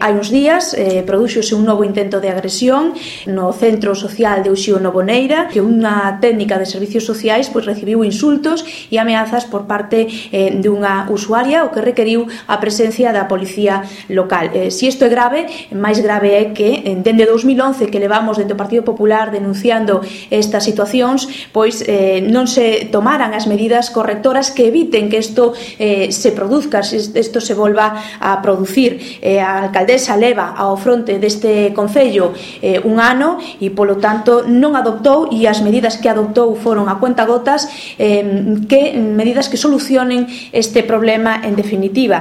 Hai uns días prodúxose un novo intento de agresión no Centro Social de Uxío Novoneira, que unha técnica de servicios sociais recibiu insultos e ameazas por parte dunha usuaria, o que requeriu a presencia da policía local. Se isto é grave, máis grave é que dende 2011 que levamos dentro do Partido Popular denunciando estas situacións, pois non se tomaran as medidas correctoras que eviten que isto se produzca, se isto se volva a producir. A alcaldesa leva ao fronte deste concello un ano e, polo tanto, non adoptou, e as medidas que adoptou foron a cuentagotas, medidas que solucionen este problema en definitiva.